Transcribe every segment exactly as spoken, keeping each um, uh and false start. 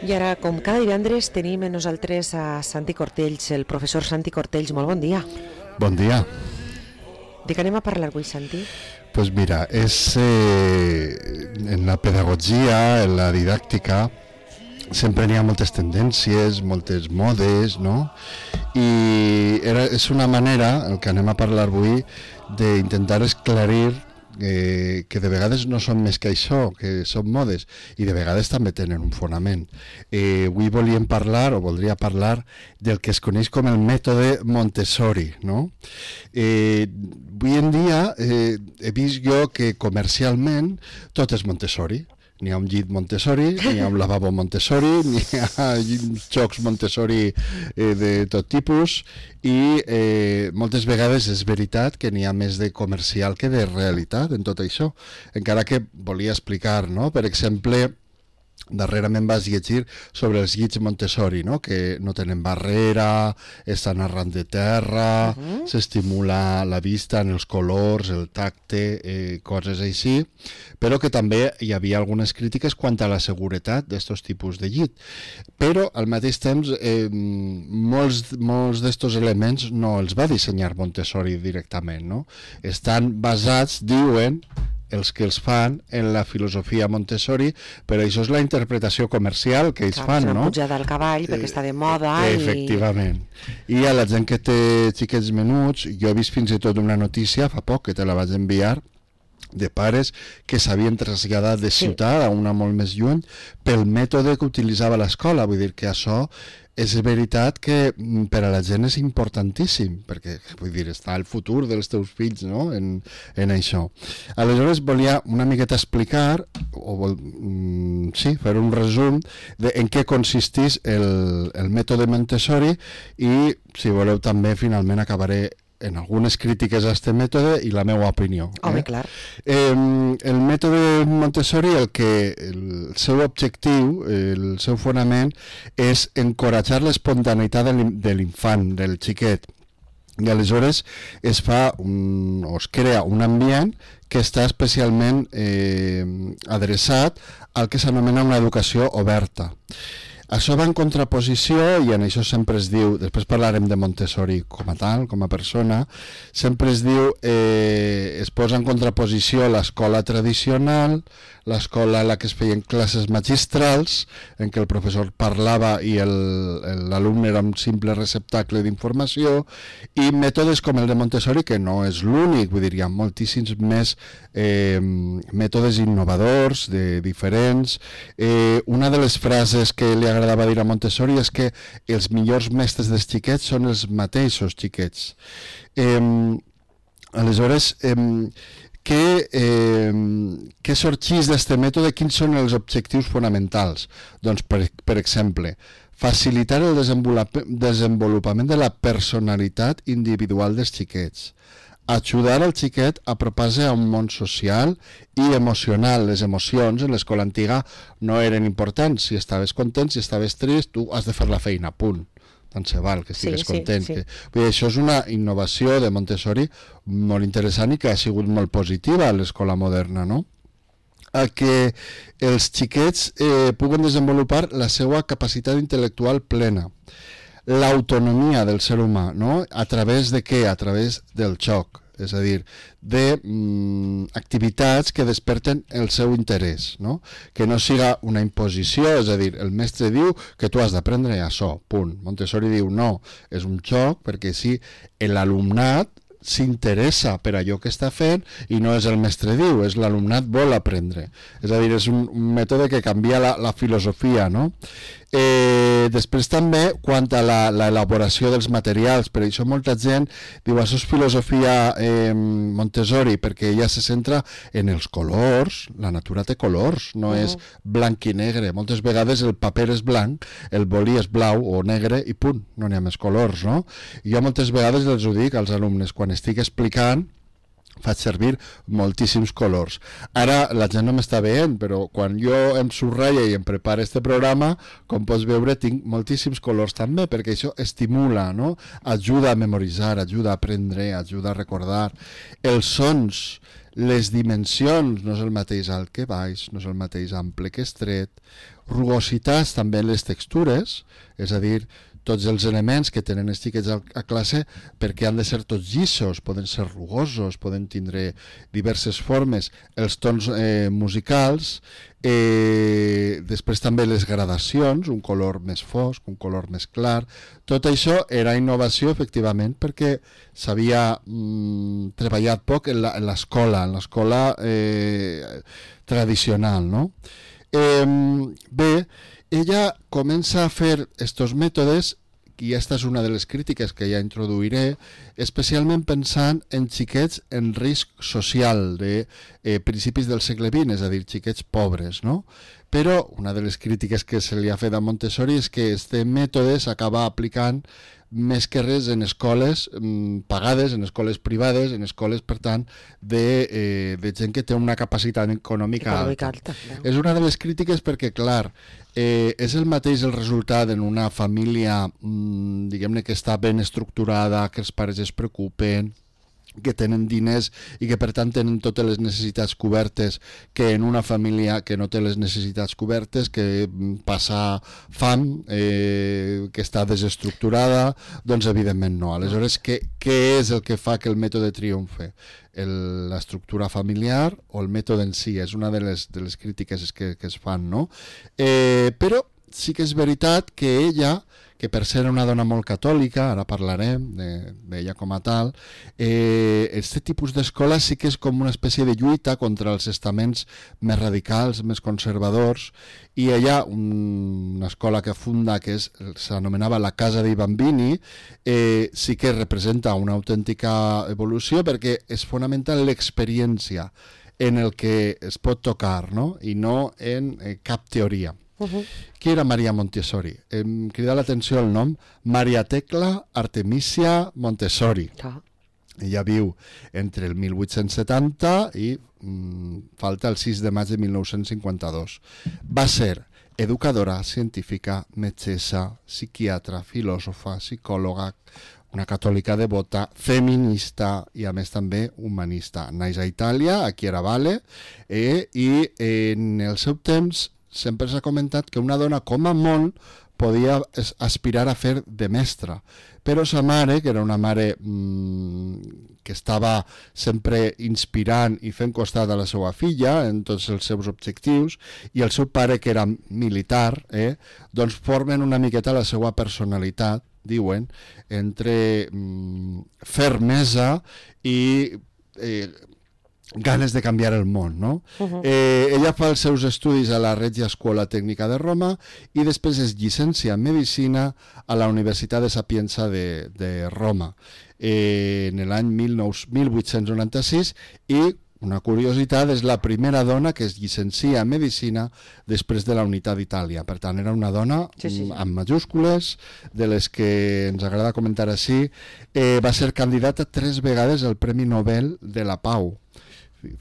I ara, com cada divendres, tenim amb nosaltres a Santi Cortells, el professor Santi Cortells. Molt bon dia. Bon dia. De què anem a parlar avui, Santi? Pues mira, és eh, en la pedagogia, en la didàctica, sempre n'hi ha moltes tendències, moltes modes, no? I era, és una manera, el que anem a parlar avui, d'intentar esclarir Eh, que de vegades no són més que això, que són modes, i de vegades també tenen un fonament. Eh, avui volíem parlar, o voldria parlar, del que es coneix com el mètode Montessori, no? Eh, avui en dia eh, he vist jo que comercialment tot és Montessori. N'hi ha un llit Montessori, n'hi ha un lavabo Montessori, n'hi ha jocs Montessori eh, de tot tipus, i eh, moltes vegades és veritat que n'hi ha més de comercial que de realitat en tot això. Encara que volia explicar, no? Per exemple, darrerament vas llegir sobre els llits Montessori, no? Que no tenen barrera, estan arran de terra, uh-huh. S'estimula la vista en els colors, el tacte, eh, coses així, però que també hi havia algunes crítiques quant a la seguretat d'aquests tipus de llit. Però al mateix temps eh, molts, molts d'estos elements no els va dissenyar Montessori directament, no? Estan basats, diuen, els que els fan en la filosofia Montessori, però això és la interpretació comercial que ells Clar, fan, no? Una pujada al cavall perquè està de moda. Eh, i... Efectivament. I a la gent que té xiquets menuts, jo he vist fins i tot una notícia fa poc, que te la vaig enviar, de pares que s'havien traslladat de ciutat sí. a una molt més lluny pel mètode que utilitzava l'escola. Vull dir que això és veritat que per a la gent és importantíssim, perquè vull dir, està el futur dels teus fills, no? en, en això. Aleshores volia una miqueta explicar, o vol, mm, sí, fer un resum de en què consisteix el, el mètode Montessori, i si voleu també finalment acabaré en algunes crítiques a aquest mètode i la meva opinió. Home, eh? clar. Eh, el mètode Montessori, el que el seu objectiu, el seu fonament, és encoratjar l'espontaneïtat de l'infant, del xiquet. I aleshores es fa un, o es crea un ambient que està especialment eh, adreçat al que s'anomena una educació oberta. Això va en contraposició, i en això sempre es diu, després parlarem de Montessori com a tal, com a persona, sempre es diu, eh, es posa en contraposició l'escola tradicional, l'escola en la que es feien classes magistrals, en què el professor parlava i l'alumne era un simple receptacle d'informació, i mètodes com el de Montessori, que no és l'únic, vull dir, hi ha moltíssims més eh, mètodes innovadors, de diferents. Eh, una de les frases que li agradava dir a Montessori és que els millors mestres dels xiquets són els mateixos xiquets. Eh, aleshores, eh, què, eh, què sorgeix d'aquest mètode? Quins són els objectius fonamentals? Doncs, per, per exemple, facilitar el desenvolupament de la personalitat individual dels xiquets, ajudar al xiquet a apropar-se a un món social i emocional. Les emocions en l'escola antiga no eren importants. Si estaves content, si estaves trist, tu has de fer la feina, punt. Tant se val que estigues sí, content. Sí, sí. Que... Vull dir, això és una innovació de Montessori molt interessant i que ha sigut molt positiva a l'escola moderna, no? A que els xiquets eh, puguen desenvolupar la seva capacitat intel·lectual plena, l'autonomia del ser humà, no? A través de què? A través del joc, és a dir, de mm, activitats que desperten el seu interès, no? Que no siga una imposició, és a dir, el mestre diu que tu has d'aprendre això, punt. Montessori diu no, és un joc perquè si l'alumnat s'interessa per allò que està fent i no és el mestre diu, és l'alumnat vol aprendre. És a dir, és un, un mètode que canvia la, la filosofia, no? Eh, després també, quant a l'elaboració dels materials, per això molta gent diu això és filosofia eh, Montessori, perquè ella se centra en els colors, la natura té colors, no uh-huh. és blanc i negre. Moltes vegades el paper és blanc, el bolí és blau o negre i punt, no n'hi ha més colors, no? I jo moltes vegades els ho dic als alumnes, quan estic explicant faig servir moltíssims colors. Ara la gent no m'està veient, però quan jo em subratlla i em preparo este programa, com pots veure, tinc moltíssims colors també, perquè això estimula, no? Ajuda a memoritzar, ajuda a aprendre, ajuda a recordar. Els sons, les dimensions, no és el mateix alt que baix, no és el mateix ample que estret. Rugositats també en les textures, és a dir, tots els elements que tenen els xiquets a classe, perquè han de ser tots llissos, poden ser rugosos, poden tindre diverses formes, els tons eh, musicals, eh, després també les gradacions, un color més fosc, un color més clar. Tot això era innovació, efectivament, perquè s'havia mm, treballat poc en l'escola, en l'escola eh, tradicional, no? Eh, bé, ella comença a fer estos mètodes, i aquesta és una de les crítiques que ja introduiré, especialment pensant en xiquets en risc social de eh, principis del segle vint, és a dir, xiquets pobres, no? Però una de les crítiques que se li ha fet a Montessori és que este mètode s'acaba aplicant més que res en escoles mm, pagades, en escoles privades, en escoles, per tant, de, eh, de gent que té una capacitat econòmica, econòmica alta. alta no? És una de les crítiques perquè, clar, eh, és el mateix el resultat en una família, mm, diguem-ne, que està ben estructurada, que els pares es preocupen, que tenen diners i que per tant tenen totes les necessitats cobertes, que en una família que no té les necessitats cobertes, que passa fam, eh, que està desestructurada, doncs evidentment no. Aleshores, què, què és el que fa que el mètode triomfe? L'estructura familiar o el mètode en si? És una de les, de les crítiques que, que es fan, no? Eh, però sí que és veritat que ella, que per ser una dona molt catòlica, ara parlarem d'ella com a tal, eh, este tipus d'escola sí que és com una espècie de lluita contra els estaments més radicals, més conservadors, i ella, un, una escola que funda, que s'anomenava la Casa dei Bambini, eh, sí que representa una autèntica evolució perquè es fonamenta en l'experiència, en el que es pot tocar, no? I no en eh, cap teoria. Uh-huh. Qui era Maria Montessori? Em crida l'atenció el nom Maria Tecla Artemisia Montessori. Uh-huh. Ella viu entre el mil vuit-cents setanta i mm, falta el sis de maig de mil nou-cents cinquanta-dos. Va ser educadora, científica, metgessa, psiquiatra, filòsofa, psicòloga, una catòlica devota, feminista i a més també humanista. Naix a Itàlia, a Chiaravale, eh, i en el seu temps sempre s'ha comentat que una dona com a molt podia aspirar a fer de mestra, però sa mare, que era una mare mmm, que estava sempre inspirant i fent costat a la seva filla en tots els seus objectius, i el seu pare, que era militar, eh, doncs formen una miqueta la seva personalitat, diuen, entre mmm, fermesa i eh, ganes de canviar el món, no? Uh-huh. Eh, ella fa els seus estudis a la Regia Scuola Tecnica de Roma i després es llicencia en Medicina a la Universitat de Sapienza de, de Roma eh, en l'any mil vuit-cents noranta-sis, i una curiositat, és la primera dona que es llicencia en Medicina després de la Unitat d'Itàlia. Per tant, era una dona sí, sí, sí. amb majúscules, de les que ens agrada comentar així. Eh, va ser candidata tres vegades al Premi Nobel de la Pau.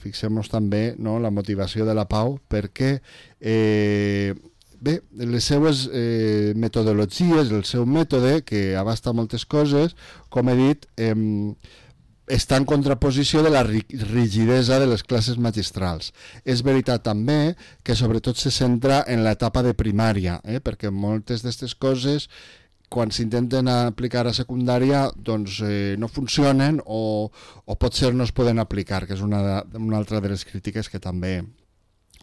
Fixem-nos també, no, la motivació de la Pau, perquè eh, bé, les seues eh, metodologies, el seu mètode, que abasta moltes coses, com he dit, eh, està en contraposició de la rigidesa de les classes magistrals. És veritat també que sobretot se centra en l'etapa de primària, eh, perquè moltes d'aquestes coses, quan s'intenten aplicar a secundària, doncs eh, no funcionen o, o potser no es poden aplicar, que és una, de, una altra de les crítiques que també,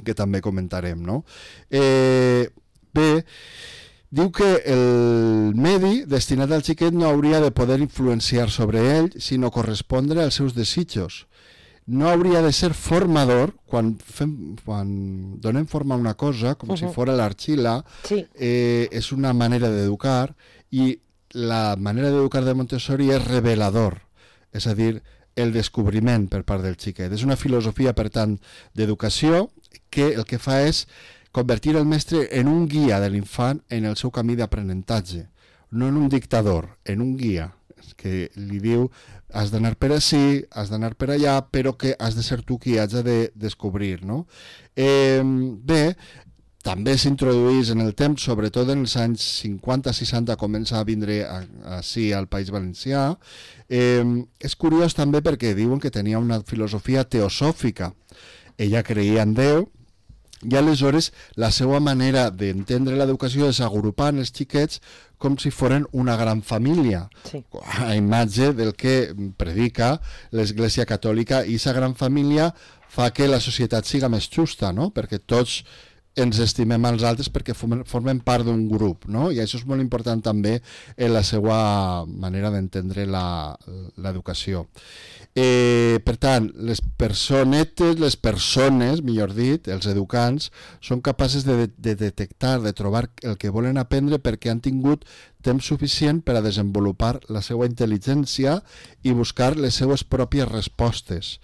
que també comentarem, no? Eh, bé, diu que el medi destinat al xiquet no hauria de poder influenciar sobre ell, sinó correspondre als seus desitjos. No hauria de ser formador, quan, fem, quan donem forma a una cosa, com uh-huh. si fora l'argila, sí. eh, és una manera d'educar, i la manera d'educar de Montessori és revelador, és a dir, el descobriment per part del xiquet. És una filosofia, per tant, d'educació que el que fa és convertir el mestre en un guia de l'infant en el seu camí d'aprenentatge, no en un dictador, en un guia. que li diu has d'anar per ací, has d'anar per allà, però que has de ser tu qui has de descobrir, no? Eh, bé, també s'introduís en el temps, sobretot en els anys cinquanta seixanta, comença a vindre així al País Valencià. Eh, és curiós també perquè diuen que tenia una filosofia teosòfica. Ella creia en Déu, i aleshores la seva manera d'entendre l'educació és agrupar els xiquets com si foren una gran família, sí. a imatge del que predica l'Església Catòlica, i aquesta gran família fa que la societat siga més justa, no? Perquè tots ens estimem als altres perquè formen part d'un grup, no? I això és molt important també en la seva manera d'entendre l'educació. Eh, per tant, les personetes, les persones, millor dit, els educants, són capaces de, de detectar, de trobar el que volen aprendre perquè han tingut temps suficient per a desenvolupar la seva intel·ligència i buscar les seues pròpies respostes.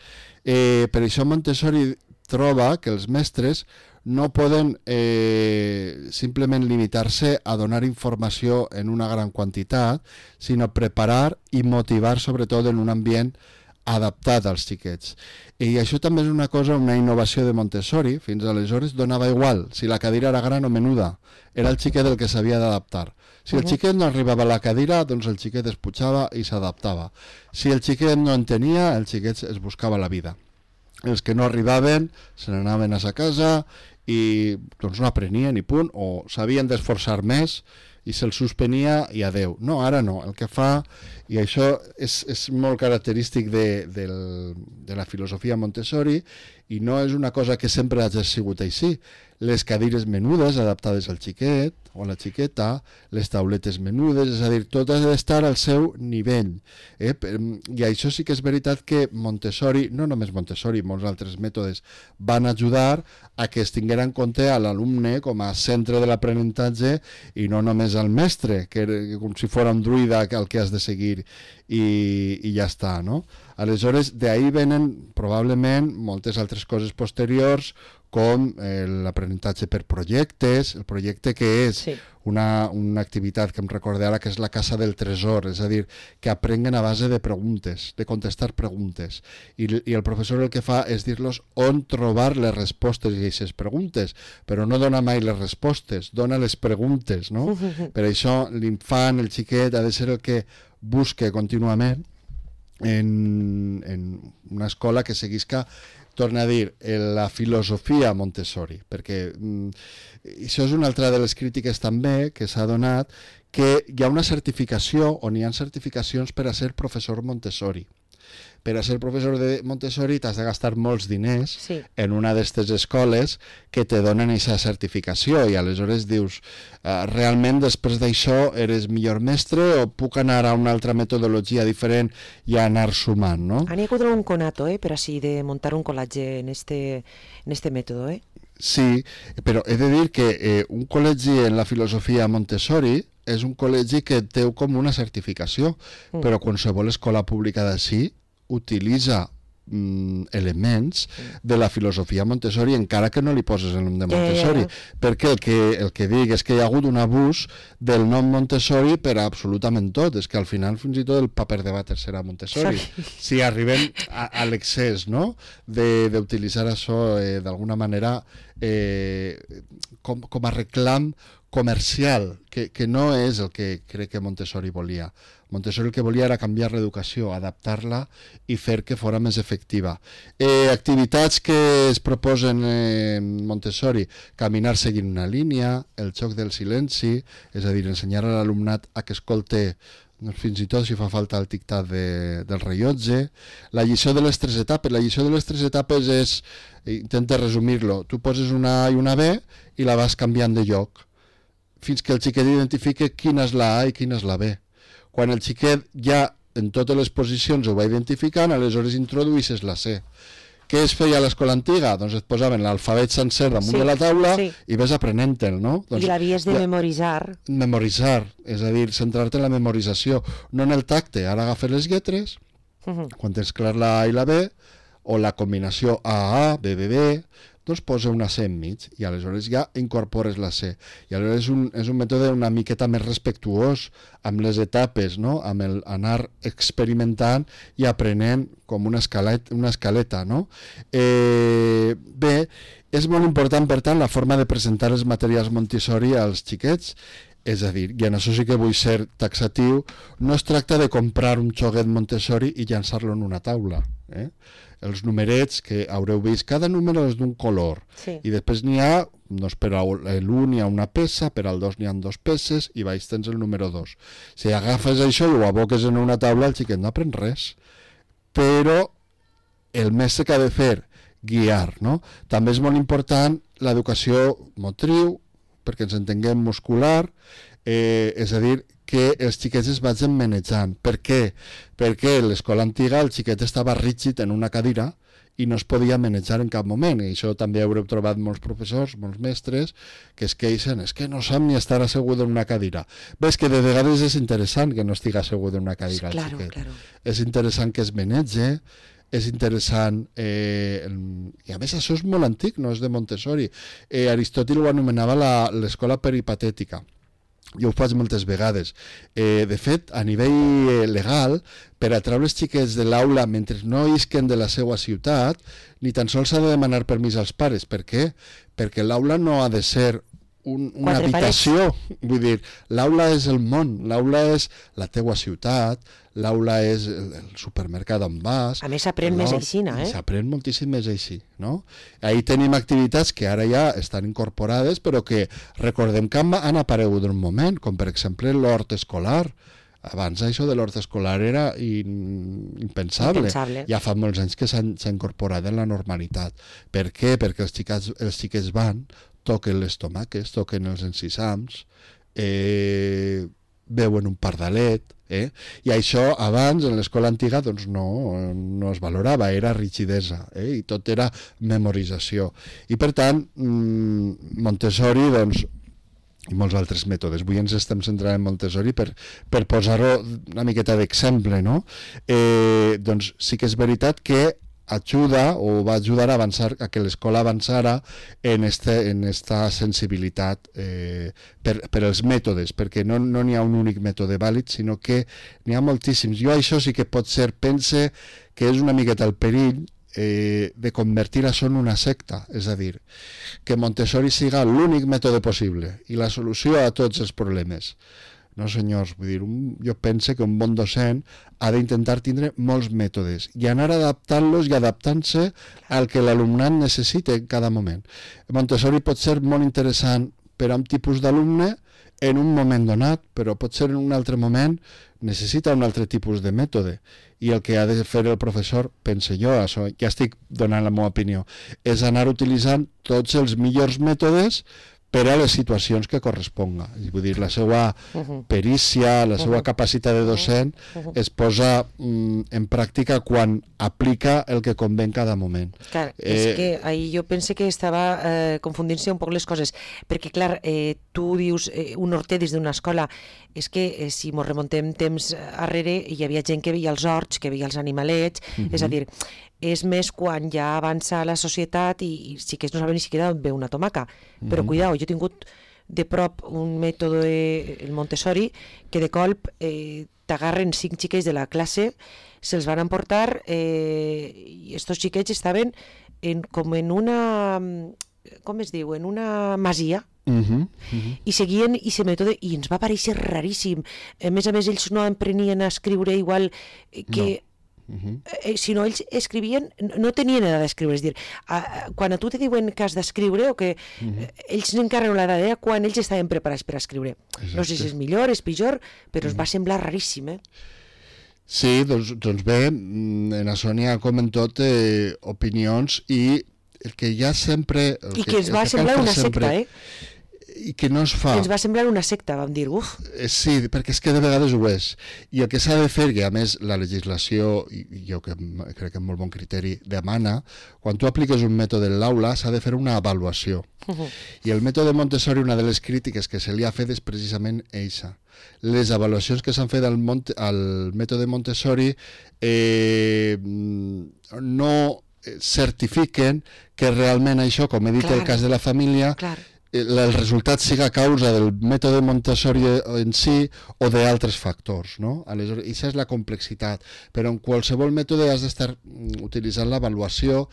Eh, per això Montessori troba que els mestres no poden eh, simplement limitar-se a donar informació en una gran quantitat, sinó preparar i motivar sobretot en un ambient adaptat als xiquets. I això també és una cosa, una innovació de Montessori. Fins aleshores donava igual si la cadira era gran o menuda, era el xiquet el que s'havia d'adaptar. Si el xiquet no arribava a la cadira, doncs el xiquet es pujava i s'adaptava. Si el xiquet no en tenia, el xiquet es buscava la vida. Els que no arribaven se n'anaven a sa casa i doncs no aprenien i punt, o s'havien d'esforçar més i se'ls suspenia i adeu. No, ara no, el que fa, i això és, és molt característic de, de, de la filosofia Montessori, i no és una cosa que sempre hagi sigut així. Les cadires menudes adaptades al xiquet o a la xiqueta, les tauletes menudes, és a dir, tot ha d'estar al seu nivell. Eh? I això sí que és veritat que Montessori, no només Montessori, molts altres mètodes, van ajudar a que es tinguera en compte a l'alumne com a centre de l'aprenentatge i no només al mestre, que era com si fos un druida el que has de seguir i, i ja està, no? Aleshores, d'ahir venen probablement moltes altres coses posteriors, com eh, l'aprenentatge per projectes, el projecte que és sí. una, una activitat que em recorda ara que és la Casa del Tresor, és a dir, que aprenguen a base de preguntes, de contestar preguntes. I, i el professor el que fa és dir-los on trobar les respostes a aquestes preguntes, però no dona mai les respostes, dona les preguntes, no? Per això l'infant, el xiquet, ha de ser el que busque contínuament en, en una escola que seguisca, torna a dir, la filosofia Montessori, perquè mm, això és una altra de les crítiques també que s'ha donat, que hi ha una certificació, on hi ha certificacions per a ser professor Montessori. Per a ser professor de Montessori t'has de gastar molts diners sí. en una d'aquestes escoles que te donen aquesta certificació, i aleshores dius, uh, realment després d'això eres millor mestre o puc anar a una altra metodologia diferent i anar sumant, no? N'hi ha un conato, eh, per així de muntar un col·legi en este, en este mètode, eh? Sí, però he de dir que eh, un col·legi en la filosofia Montessori és un col·legi que té com una certificació, mm. però qualsevol escola pública d'ací utilitza mm, elements mm. de la filosofia Montessori, encara que no li poses el nom de Montessori, yeah, yeah. perquè el que, el que dic és que hi ha hagut un abús del nom Montessori per a absolutament tot, és que al final fins i tot el paper de vàter serà Montessori, sí. si arribem a, a l'excés, no?, d'utilitzar això eh, d'alguna manera eh, com, com a reclam comercial, que, que no és el que crec que Montessori volia. Montessori el que volia era canviar l'educació, adaptar-la i fer que fora més efectiva. Eh, activitats que es proposen en Montessori: caminar seguint una línia, el joc del silenci, és a dir, ensenyar a l'alumnat a que escolte fins i tot si fa falta el tic-tac de, del rellotge, la lliçó de les tres etapes. La lliçó de les tres etapes és, intenta resumir-lo, tu poses una A i una B i la vas canviant de lloc, fins que el xiquet identifique quina és la A i quina és la B. Quan el xiquet ja en totes les posicions ho va identificant, aleshores introduïsses la C. Què es feia a l'escola antiga? Doncs et posaven l'alfabet sencer damunt sí, de la taula sí. i ves aprenent-te'l, no? Doncs, I l'havies de la, memoritzar. Memoritzar, és a dir, centrar-te en la memorització, no en el tacte. Ara agafes les lletres, uh -huh. quan tens clar la A i la B, o la combinació A A, B B B, doncs posa una C enmig i aleshores ja incorpores la C. I aleshores és un, és un mètode una miqueta més respectuós amb les etapes, no? Amb el anar experimentant i aprenent com una escaleta, una escaleta, no? Eh, bé, és molt important, per tant, la forma de presentar els materials Montessori als xiquets. És a dir, i en això sí que vull ser taxatiu, no es tracta de comprar un xoguet Montessori i llançar-lo en una taula. Eh? Els numerets que haureu vist, cada número és d'un color, sí. I després n'hi ha, doncs per a l'u n'hi ha una peça, per al dos n'hi ha dos peces, i baix tens el número dos. Si agafes això i ho aboques en una taula, el xiquet no aprèn res. Però el mestre que ha de fer, guiar, no? També és molt important l'educació motriu, perquè ens entenguem muscular, eh, és a dir, que els xiquets es vagin manejant. Per què? Perquè a l'escola antiga el xiquet estava rígid en una cadira i no es podia manejar en cap moment, i això també haureu trobat molts professors, molts mestres, que es queixen, és que no sap ni estar assegut en una cadira. Ves que de vegades és interessant que no estigui assegut en una cadira, claro, el xiquet. Claro. És interessant que es manege, és interessant, eh, i a més això és molt antic, no és de Montessori. Eh, Aristòtil ho anomenava l'escola peripatètica. Jo ho faig moltes vegades. Eh, de fet, a nivell legal, per atraure els xiquets de l'aula mentre no isquen de la seva ciutat, ni tan sols s'ha de demanar permís als pares. Per què? Perquè l'aula no ha de ser un, una Quatre habitació. parets. Vull dir, l'aula és el món, l'aula és la teua ciutat, l'aula és el, el supermercat on vas. A més s'aprèn més així, eh? S'aprèn moltíssim més així, no? Ahí tenim activitats que ara ja estan incorporades, però que recordem que han aparegut un moment, com per exemple l'hort escolar. Abans això de l'hort escolar era in, impensable. impensable. Ja fa molts anys que s'ha incorporat en la normalitat. Per què? Perquè els xiquets, els xiquets van, toquen les tomaques, toquen els encisams, eh, veuen un pardalet, eh? I això abans en l'escola antiga doncs no, no es valorava, era rigidesa, eh? I tot era memorització. I per tant, Montessori doncs, i molts altres mètodes. Avui ens estem centrant en Montessori per, per posar-ho una miqueta d'exemple, no? Eh, doncs sí que és veritat que ajuda o va ajudar a avançar, a que l'escola avançara en, este, en esta sensibilitat eh, per, per als mètodes, perquè no n'hi no ha un únic mètode vàlid, sinó que n'hi ha moltíssims. Jo això sí que pot ser, pense que és una miqueta el perill eh, de convertir això en una secta, és a dir, que Montessori siga l'únic mètode possible i la solució a tots els problemes. No, senyors, vull dir, un, jo penso que un bon docent ha d'intentar tindre molts mètodes i anar adaptant-los i adaptant-se al que l'alumnat necessita en cada moment. Montessori pot ser molt interessant per a un tipus d'alumne en un moment donat, però pot ser en un altre moment necessita un altre tipus de mètode. I el que ha de fer el professor, pense jo, això, ja estic donant la meva opinió, és anar utilitzant tots els millors mètodes per a les situacions que corresponga. Vull dir, la seva perícia, la seva capacitat de docent es posa mm, en pràctica quan aplica el que convé en cada moment. Clar, eh, és que ahir jo pense que estava eh, confundint-se un poc les coses, perquè clar, eh, tu dius eh, un horter des d'una escola, és que eh, si mos remontem temps arrere hi havia gent que veia els horts, que veia els animalets, uh-huh. És a dir, és més quan ja avança la societat i, i sí que no saben ni siquiera on ve una tomaca. Uh-huh. Però cuidao, jo he tingut de prop un mètode, el Montessori, que de colp eh, t'agarren cinc xiquets de la classe, se'ls van emportar eh, i estos xiquets estaven en, com en una, com es diu, en una masia, Uh-huh, uh-huh. i seguien i se mètode i ens va parèixer raríssim. A més a més ells no aprenien a escriure igual que no. Uh-huh. eh, si no ells escrivien, no tenien edat d'escriure, és dir, a, a, quan a tu te diuen que has d'escriure o que uh-huh. eh, ells n'encarren l'edat d'era quan ells estaven preparats per a escriure. Exacte. No sé si és millor, és pitjor, però uh-huh. es va semblar raríssim, eh? Sí, doncs, doncs bé, en això n'hi ha com en tot eh, opinions i el que ja sempre... I que, que ens va semblar una secta, eh? I que no es fa. Ens va semblar una secta, vam dir, uf. Sí, perquè és que de vegades ho és. I el que s'ha de fer, que a més la legislació, i jo que crec que amb molt bon criteri, demana, quan tu apliques un mètode en l'aula s'ha de fer una avaluació. Uh-huh. I el mètode Montessori, una de les crítiques que se li ha fet és precisament eixa. Les avaluacions que s'han fet al, Monte, al mètode Montessori eh, no certifiquen que realment això, com he dit, Clar. el cas de la família, Clar. el resultat siga a causa del mètode Montessori en si o d'altres factors, no? Aleshores, això és la complexitat, però en qualsevol mètode has d'estar utilitzant l'avaluació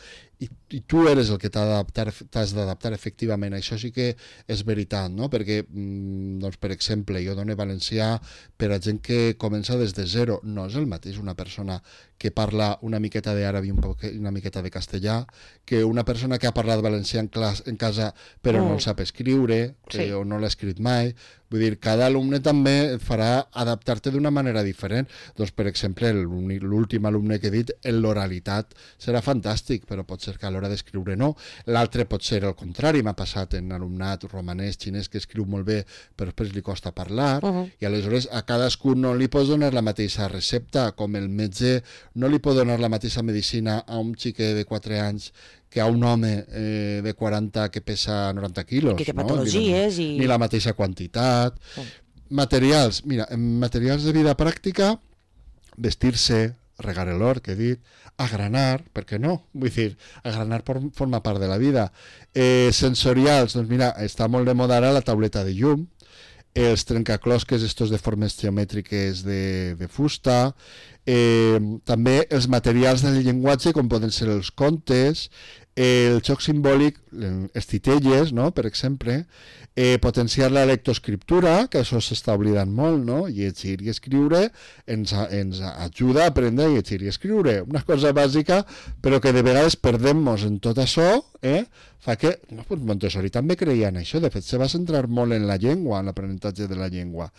i, i tu eres el que t'has d'adaptar efectivament. Això sí que és veritat, no? Perquè, doncs, per exemple, jo dono valencià per a gent que comença des de zero. No és el mateix una persona que parla una miqueta d'àrab i un poc, una miqueta de castellà que una persona que ha parlat valencià en, clas, en casa però mm. no el sap escriure, sí. eh, o no l'ha escrit mai. Vull dir, cada alumne també farà adaptar-te d'una manera diferent. Doncs, per exemple, l'últim alumne que he dit, en l'oralitat serà fantàstic, però pot ser que a l'hora d'escriure no. L'altre pot ser el contrari, m'ha passat en alumnat romanès, xinès, que escriu molt bé, però després li costa parlar, uh -huh. i aleshores a cadascú no li pots donar la mateixa recepta, com el metge no li pot donar la mateixa medicina a un xiquet de quatre anys que a un home eh, de quaranta que pesa noranta quilos. Que té no? patologies i... Ni la mateixa quantitat. Oh. Materials, mira, en materials de vida pràctica, vestir-se, regar l'hort, que he dit, agranar, per què no? Vull dir, agranar forma part de la vida. Eh, sensorials, doncs mira, està molt de moda ara la tauleta de llum, els trencaclosques, estos de formes geomètriques de, de fusta, eh, també els materials del llenguatge, com poden ser els contes, el joc simbòlic, els titelles, no?, per exemple, eh, potenciar la lectoescriptura, que això s'està oblidant molt, no?, llegir i escriure ens, ens ajuda a aprendre a llegir i escriure, una cosa bàsica, però que de vegades perdem-nos en tot això, eh?, fa que, no, pues Montessori també creia en això, de fet se va centrar molt en la llengua, en l'aprenentatge de la llengua.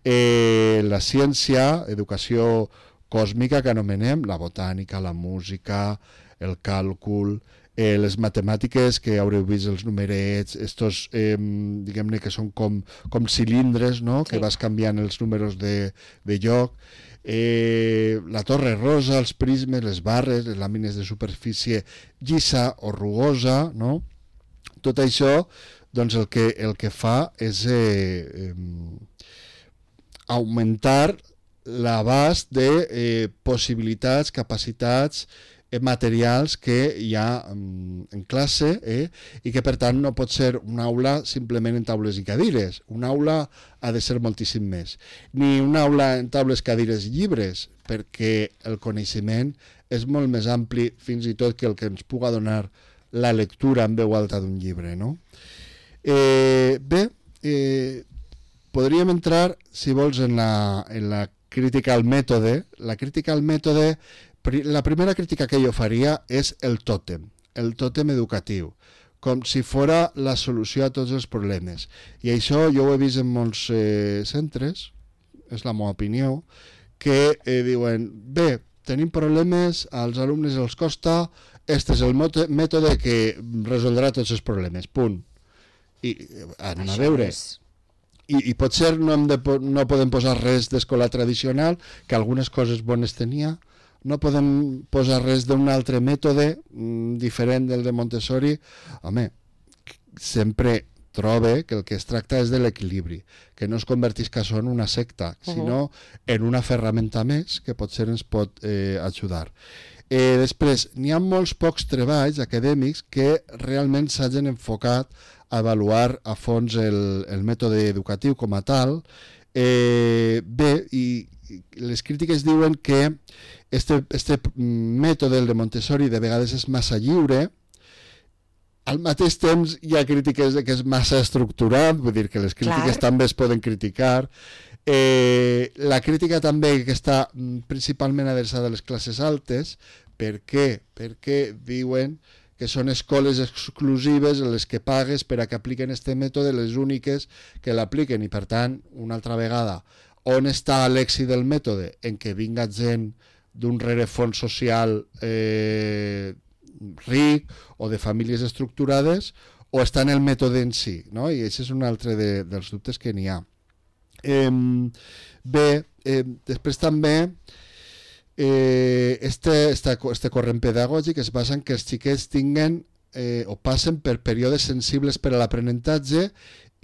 Eh, la ciència, educació còsmica que anomenem, la botànica, la música, el càlcul, eh, les matemàtiques, que haureu vist els numerets, estos, eh, diguem-ne que són com, com cilindres, no?, sí. que vas canviant els números de, de lloc, eh, la torre rosa, els prismes, les barres, les làmines de superfície llisa o rugosa, no?, tot això, doncs el que, el que fa és eh, eh, augmentar l'abast de eh, possibilitats, capacitats eh, materials que hi ha en, en classe eh, i que per tant no pot ser una aula simplement en taules i cadires. Una aula ha de ser moltíssim més. Ni una aula en taules, cadires i llibres, perquè el coneixement és molt més ampli fins i tot que el que ens puga donar la lectura en veu alta d'un llibre, no? Eh, bé, eh, podríem entrar, si vols, en la, en la crítica al mètode. La crítica al mètode, la primera crítica que jo faria és el tòtem, el tòtem educatiu, com si fora la solució a tots els problemes. I això jo ho he vist en molts eh, centres, és la meva opinió, que eh, diuen, bé, tenim problemes, als alumnes els costa, este és el mètode que resoldrà tots els problemes, punt. I anem a veure... És... I, i potser no, hem de, no podem posar res d'escola tradicional, que algunes coses bones tenia, no podem posar res d'un altre mètode mm, diferent del de Montessori. Home, sempre trobe que el que es tracta és de l'equilibri, que no es convertisca això en una secta, uh-huh. sinó en una ferramenta més que potser ens pot eh, ajudar. Eh, després, n'hi ha molts pocs treballs acadèmics que realment s'hagin enfocat a avaluar a fons el, el mètode educatiu com a tal. Eh, bé, i, i les crítiques diuen que este, este mètode, el de Montessori, de vegades és massa lliure. Al mateix temps hi ha crítiques de que és massa estructurat, vull dir que les crítiques Clar. també es poden criticar. Eh, la crítica també que està principalment adreçada a les classes altes. Per què? Perquè diuen que són escoles exclusives en les que pagues per a que apliquen este mètode, les úniques que l'apliquen, i per tant, una altra vegada, on està l'èxit del mètode? En què vinga gent d'un rerefons social eh, ric o de famílies estructurades, o està en el mètode en si, no? I això és un altre de, dels dubtes que n'hi ha. Eh, bé, eh, després també eh, este, este, este corrent pedagògic es basa en que els xiquets tinguen eh, o passen per períodes sensibles per a l'aprenentatge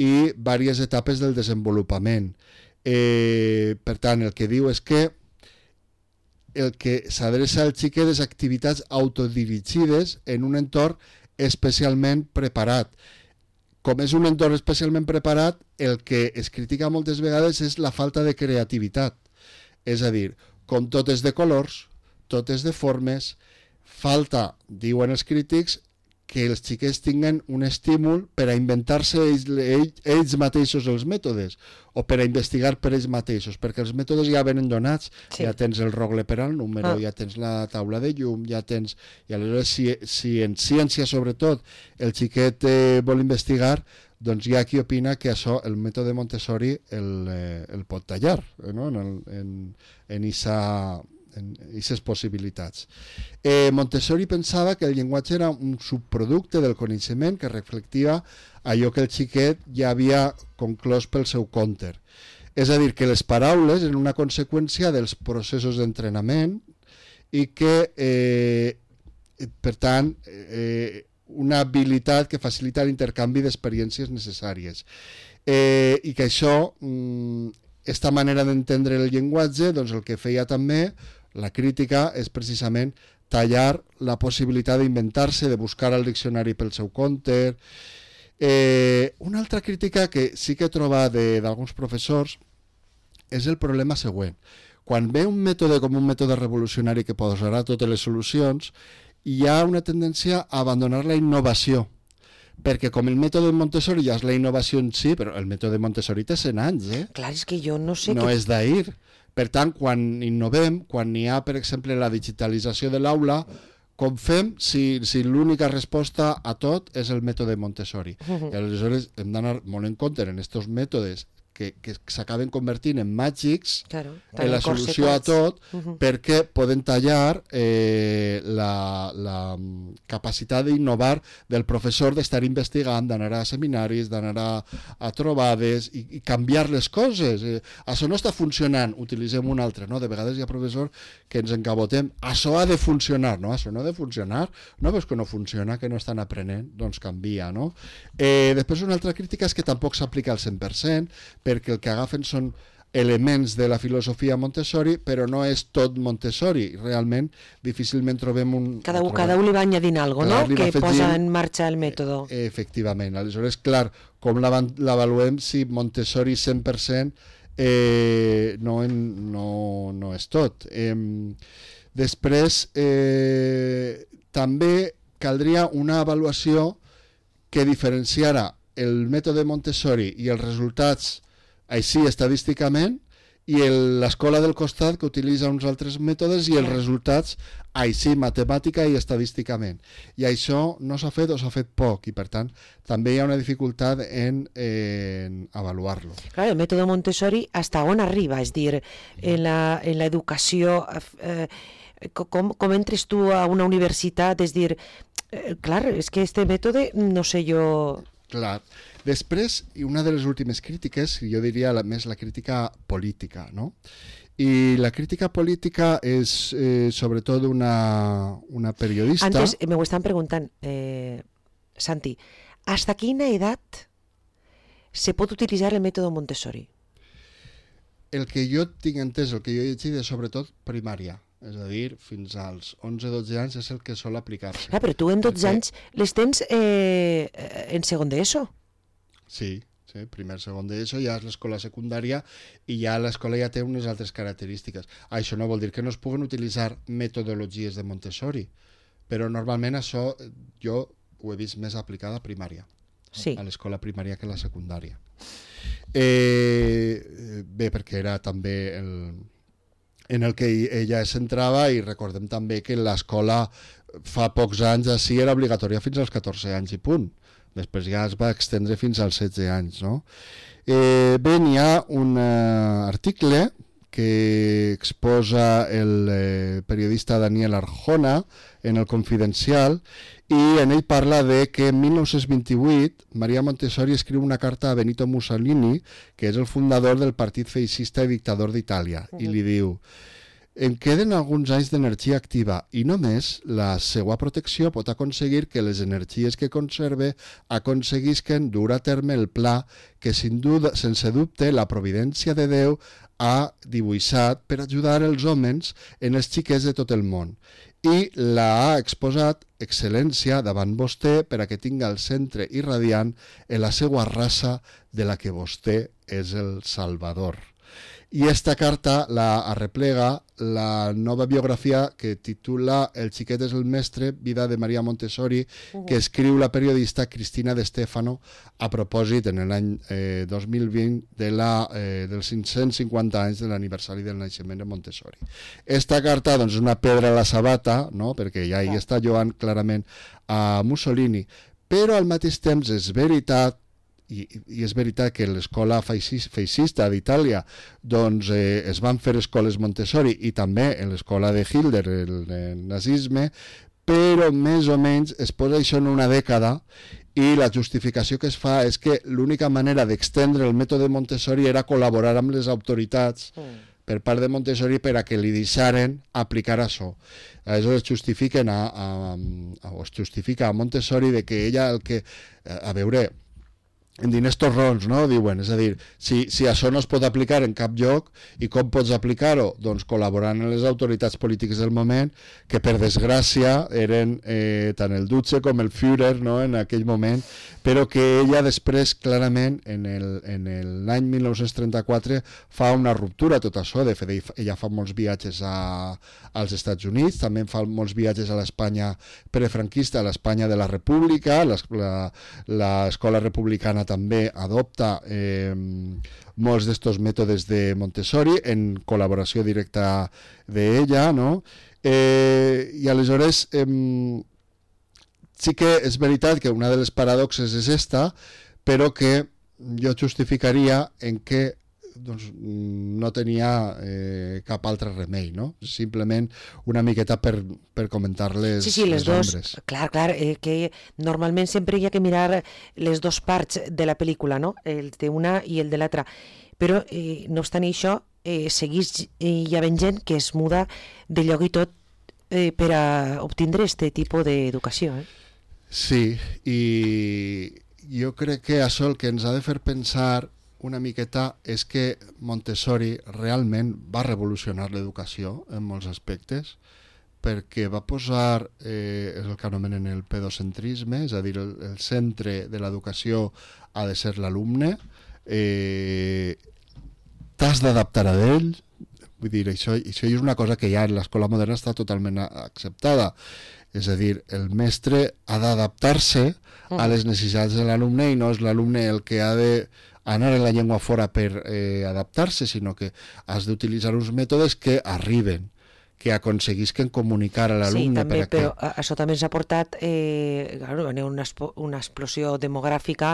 i diverses etapes del desenvolupament. Eh, per tant, el que diu és que el que s'adreça al xiquet és activitats autodirigides en un entorn especialment preparat. Com és un entorn especialment preparat, el que es critica moltes vegades és la falta de creativitat. És a dir, com tot és de colors, tot és de formes, falta, diuen els crítics, que els xiquets tinguen un estímul per a inventar-se ells, ells, ells mateixos els mètodes o per a investigar per ells mateixos, perquè els mètodes ja venen donats, sí. Ja tens el rogle per al número, ah. ja tens la taula de llum, ja tens... I aleshores, si, si en ciència, sobretot, el xiquet eh, vol investigar, doncs hi ha qui opina que això, el mètode Montessori, el, eh, el pot tallar, eh, no? en, el, en, en isa... en aquestes possibilitats. Eh, Montessori pensava que el llenguatge era un subproducte del coneixement que reflectia allò que el xiquet ja havia conclòs pel seu compte. És a dir, que les paraules eren una conseqüència dels processos d'entrenament i que, eh, per tant, eh, una habilitat que facilita l'intercanvi d'experiències necessàries. Eh, I que això, aquesta manera d'entendre el llenguatge, doncs el que feia també la crítica és precisament tallar la possibilitat d'inventar-se, de buscar al diccionari pel seu compte. Eh, una altra crítica que sí que he trobat d'alguns professors és el problema següent. Quan ve un mètode com un mètode revolucionari que posarà totes les solucions, hi ha una tendència a abandonar la innovació, perquè com el mètode Montessori ja és la innovació en si, però el mètode Montessori té cent anys, eh? Clar, és que jo no sé... No que... és d'ahir. Per tant, quan innovem, quan n'hi ha, per exemple, la digitalització de l'aula, com fem si, si l'única resposta a tot és el mètode Montessori? Uh-huh. I aleshores hem d'anar molt en compte en aquests mètodes que, que s'acaben convertint en màgics, claro, en la solució a tot, uh-huh. perquè poden tallar eh, la, la capacitat d'innovar del professor, d'estar investigant, d'anar a seminaris, d'anar a, a trobades i, i canviar les coses. Eh, això no està funcionant, utilitzem un altre, no? De vegades hi ha professors que ens encabotem, això ha de funcionar, no? Això no ha de funcionar, no veus que no funciona, que no estan aprenent, doncs canvia, no? Eh, després una altra crítica és que tampoc s'aplica al cent per cent, perquè el que agafen són elements de la filosofia Montessori, però no és tot Montessori. Realment, difícilment trobem un... Cada, un, cada un li va añadint alguna cosa, no? Que posa en marxa el mètode. Eh, efectivament. Aleshores, clar, com l'avaluem si Montessori cent per cent eh, no, no, no és tot. Eh, després, eh, també caldria una avaluació que diferenciara el mètode Montessori i els resultats així estadísticament i l'escola del costat que utilitza uns altres mètodes i els resultats així matemàtica i estadísticament. I això no s'ha fet o s'ha fet poc i per tant també hi ha una dificultat en, en avaluar-lo. Clar, el mètode Montessori hasta on arriba? És dir, en l'educació... Eh, com, com entres tu a una universitat? És dir, eh, clar, és que este mètode, no sé jo... Clar. Després, i una de les últimes crítiques, jo diria la, més la crítica política, no? I la crítica política és eh, sobretot una, una periodista... Antes me ho estan preguntant, eh, Santi, ¿hasta quina edat se pot utilitzar el mètode Montessori? El que jo tinc entès, el que jo he llegit és sobretot primària. És a dir, fins als onze dotze anys és el que sol aplicar-se. Ah, però tu en dotze perquè... anys les tens eh, en segon d'ESO. Sí, sí, primer, segon d'ESO, ja és l'escola secundària i ja l'escola ja té unes altres característiques. Això no vol dir que no es puguen utilitzar metodologies de Montessori, però normalment això jo ho he vist més aplicada a primària, sí. A l'escola primària que a la secundària. Eh, bé, perquè era també el... en el que ella es centrava i recordem també que l'escola fa pocs anys així era obligatòria fins als catorze anys i punt. Després ja es va extendre fins als setze anys, no? Eh, bé, n'hi ha un uh, article que exposa el eh, periodista Daniel Arjona en el Confidencial i en ell parla de que en mil nou-cents vint-i-vuit Maria Montessori escriu una carta a Benito Mussolini, que és el fundador del partit feixista i dictador d'Itàlia, uh-huh. i li diu em queden alguns anys d'energia activa i només la seva protecció pot aconseguir que les energies que conserve aconseguisquen dur a terme el pla que, sin duda, sense dubte, la providència de Déu ha dibuixat per ajudar els homes en els xiquets de tot el món. I l'ha exposat excel·lència davant vostè per a que tinga el centre irradiant en la seva raça de la que vostè és el salvador. I esta carta la arreplega la nova biografia que titula El xiquet és el mestre, vida de Maria Montessori, uh-huh. que escriu la periodista Cristina De Stefano a propòsit en l'any eh, dos mil vint de la, eh, dels cinc-cents cinquanta anys de l'aniversari del naixement de Montessori. Esta carta doncs, és una pedra a la sabata, no? Perquè ja hi està lloant clarament a Mussolini, però al mateix temps és veritat I, i és veritat que l'escola feixista d'Itàlia doncs, eh, es van fer escoles Montessori i també en l'escola de Hitler, el, el nazisme, però més o menys es posa això en una dècada i la justificació que es fa és que l'única manera d'extendre el mètode Montessori era col·laborar amb les autoritats mm. per part de Montessori per a que li deixaren aplicar això. Aleshores justifiquen a, a, a, o es justifica a Montessori de que ella el que... A veure... en diners torrons, no? Diuen, és a dir, si, si això no es pot aplicar en cap lloc, i com pots aplicar-ho? Doncs col·laborant amb les autoritats polítiques del moment, que per desgràcia eren eh, tant el Duce com el Führer, no? En aquell moment, però que ella després, clarament, en l'any mil nou-cents trenta-quatre, fa una ruptura tot això. De fet, ella fa molts viatges a, als Estats Units, també fa molts viatges a l'Espanya prefranquista, a l'Espanya de la República, l'escola republicana també adopta eh, molts d'estos mètodes de Montessori en col·laboració directa d'ella, no? Eh, I aleshores eh, sí que és veritat que una de les paradoxes és esta, però que jo justificaria en què doncs, no tenia eh, cap altre remei, no? Simplement una miqueta per, per comentar les, sí, sí, les, les dos, ombres. Clar, clar, eh, que normalment sempre hi ha que mirar les dos parts de la pel·lícula, no? El d'una i el de l'altra. Però, eh, no obstant això, eh, seguís eh, hi havent gent que es muda de lloc i tot eh, per a obtindre aquest tipus d'educació. Eh? Sí, i jo crec que això el que ens ha de fer pensar una miqueta és que Montessori realment va revolucionar l'educació en molts aspectes, perquè va posar, eh, és el que anomenen el pedocentrisme, és a dir, el, el centre de l'educació ha de ser l'alumne, eh, t'has d'adaptar a ell, vull dir, això, això és una cosa que ja en l'escola moderna està totalment acceptada, és a dir, el mestre ha d'adaptar-se a les necessitats de l'alumne i no és l'alumne el que ha de anar en la llengua fora per eh, adaptar-se, sinó que has d'utilitzar uns mètodes que arriben, que aconseguisquen comunicar a l'alumne. Sí, també, per a però que... això també ens ha portat eh, claro, una, una explosió demogràfica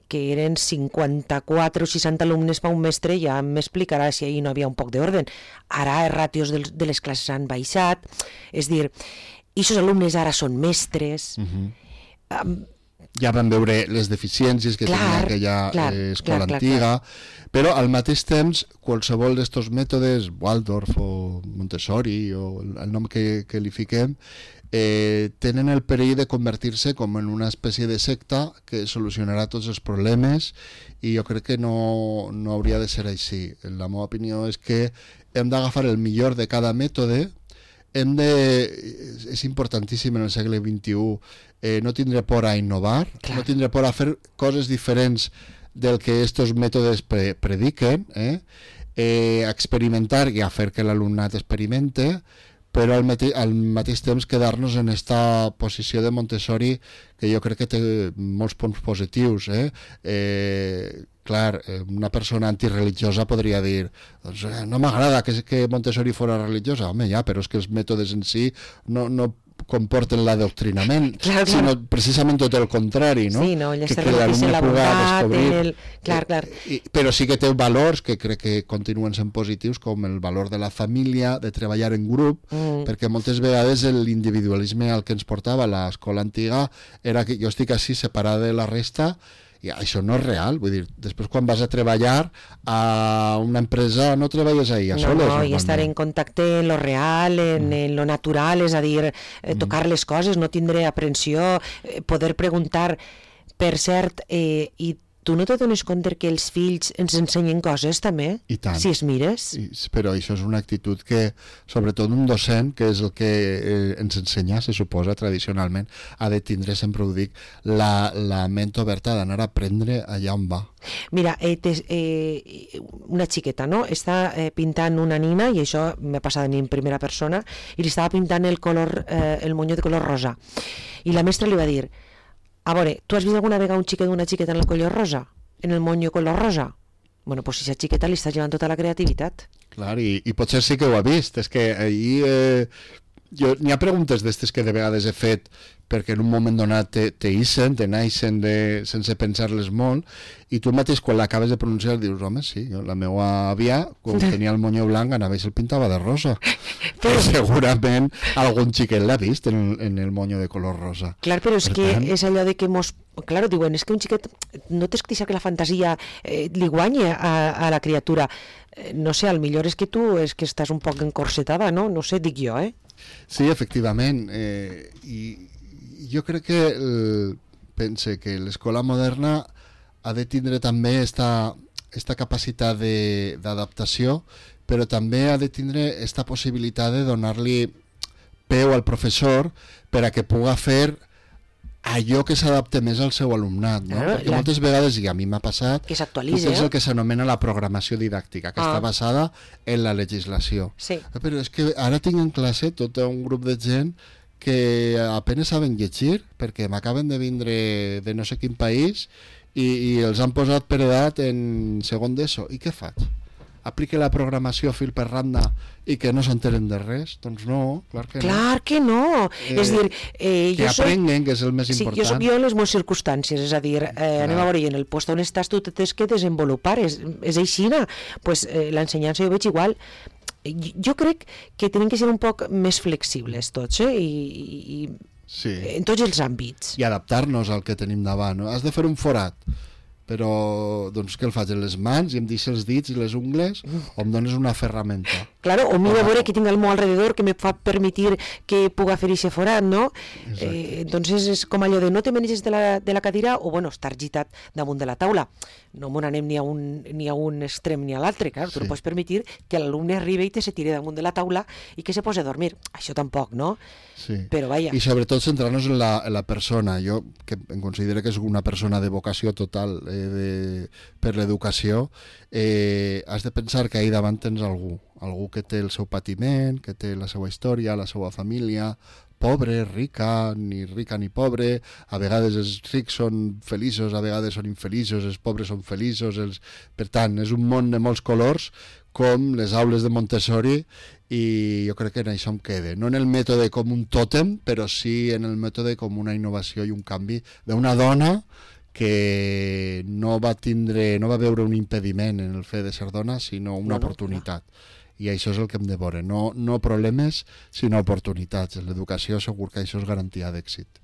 que eren cinquanta-quatre o seixanta alumnes per un mestre, ja m'explicarà si ahir no havia un poc d'ordre. Ara els ràtios de, de les classes han baixat, és dir, i aquests alumnes ara són mestres... Uh-huh. um, ja vam veure les deficiències que clar, tenia aquella clar, eh, escola clar, antiga, clar, clar. Però al mateix temps qualsevol d'estos mètodes, Waldorf o Montessori o el nom que, que li fiquem, eh, tenen el perill de convertir-se com en una espècie de secta que solucionarà tots els problemes i jo crec que no, no hauria de ser així. La meva opinió és que hem d'agafar el millor de cada mètode. Hem de, és importantíssim en el segle vint-i-u eh, no tindre por a innovar, clar. No tindre por a fer coses diferents del que estos mètodes pre prediquen, eh? Eh, experimentar i a fer que l'alumnat experimente, però al, mate al mateix temps quedar-nos en esta posició de Montessori que jo crec que té molts punts positius. Eh? Eh, clar, una persona antireligiosa podria dir doncs, eh, no m'agrada que, que Montessori fora religiosa, home ja, però és que els mètodes en si no, no comporten l'adoctrinament, clar, clar. sinó precisament tot el contrari, no? Sí, no, ja que, que l'alumne la puga descobrir. El... Clar, clar. Eh, i, però sí que té valors que crec que continuen sent positius, com el valor de la família, de treballar en grup, mm. perquè moltes vegades l'individualisme al que ens portava l'escola antiga era que jo estic així separada de la resta i això no és real, vull dir, després quan vas a treballar a una empresa no treballes ahí a no, soles. No, i estar en contacte en lo real, en, mm. en lo natural, és a dir, eh, tocar mm. les coses, no tindre aprensió, eh, poder preguntar. Per cert, eh, i tu no te dones compte que els fills ens ensenyen coses també? I tant. Si es mires? I, però això és una actitud que, sobretot un docent, que és el que eh, ens ensenya, se suposa, tradicionalment, ha de tindre, sempre ho dic, la, la ment oberta d'anar a aprendre allà on va. Mira, eh, tes, eh, una xiqueta, no? Està eh, pintant una nina, i això m'ha passat a mi en primera persona, i li estava pintant el color, eh, el monyo de color rosa. I la mestra li va dir: a veure, tu has vist alguna vegada un xiquet d'una xiqueta en el color rosa? En el monyo color rosa? Bueno, doncs si aquesta xiqueta li està llevant tota la creativitat. Clar, i, i potser sí que ho ha vist. És que ahir... Eh, jo, n'hi ha preguntes d'estes que de vegades he fet perquè en un moment donat te, te isen, te naixen de, sense pensar-les molt, i tu mateix quan l'acabes de pronunciar dius, home, sí, la meva àvia, quan tenia el monyo blanc, anava i se'l pintava de rosa. Però segurament algun xiquet l'ha vist en, en el monyo de color rosa. Clar, però és per que tant... és allò de que mos... Claro, diuen, és que un xiquet no t'és que deixar que la fantasia eh, li guanyi a, a la criatura. Eh, no sé, al millor és que tu és que estàs un poc encorsetada, no? No sé, dic jo, eh? Sí, efectivament. Eh, I jo crec que el, pense que l'escola moderna ha de tindre també esta, esta capacitat d'adaptació, però també ha de tindre esta possibilitat de donar-li peu al professor per a que puga fer allò que s'adapte més al seu alumnat, no? Claro, perquè la... moltes vegades, i a mi m'ha passat, que s'actualitza, és el que s'anomena la programació didàctica, que ah. està basada en la legislació. Sí. Però és que ara tinc en classe tot un grup de gent que apenas saben llegir, perquè m'acaben de vindre de no sé quin país i, i els han posat per edat en segon d'ESO. I què faig? Aplique la programació fil per randa i que no s'enteren de res? Doncs no, clar que no. Clar que no. Eh, és dir, eh, que jo aprenguen, soc... que és el més sí, important. Jo soc jo en les meves circumstàncies, és a dir, eh, anem a veure, i en el lloc on estàs tu tens que desenvolupar, és, és aixina. Pues, eh, l'ensenyança jo veig igual. Jo crec que tenen que ser un poc més flexibles tots, eh? I, i, sí. en tots els àmbits. I adaptar-nos al que tenim davant. No? Has de fer un forat, però doncs què el faig? En les mans i em deixo els dits i les ungles o em dones una ferramenta? Claro, o mira a veure que tinc al meu alrededor que me fa permitir que puga fer aquest forat, no? Eh, entonces és com allò de no te menges de la, de la cadira o, bueno, estar gitat damunt de la taula. No m'ho anem ni a un, ni a un extrem ni a l'altre, clar, tu sí. no pots permitir que l'alumne arribi i te se tire damunt de la taula i que se posi a dormir. Això tampoc, no? Sí. Però vaja. I sobretot centrar-nos en, la, en la persona. Jo, que em considero que és una persona de vocació total eh, de, per l'educació, eh, has de pensar que ahí davant tens algú, algú que té el seu patiment, que té la seva història, la seva família, pobre, rica, ni rica ni pobre, a vegades els rics són feliços, a vegades són infeliços, els pobres són feliços, els... per tant, és un món de molts colors, com les aules de Montessori, i jo crec que en això em quede. No en el mètode com un tòtem, però sí en el mètode com una innovació i un canvi d'una dona que no va tindre, no va veure un impediment en el fet de ser dona, sinó una no, oportunitat. No. I això és el que hem de veure, no, no problemes, sinó oportunitats. En l'educació segur que això és garantia d'èxit.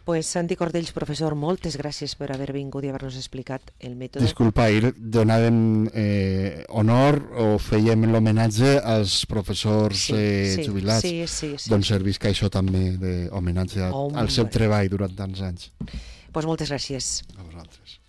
Pues Santi Cordells, professor, moltes gràcies per haver vingut i haver-nos explicat el mètode. Disculpa, ahir donàvem eh, honor o fèiem l'homenatge als professors sí, eh, sí, jubilats. Sí, sí, sí. Doncs servisca això també d'homenatge oh, al seu treball durant tants anys. Pues moltes gràcies. A vosaltres.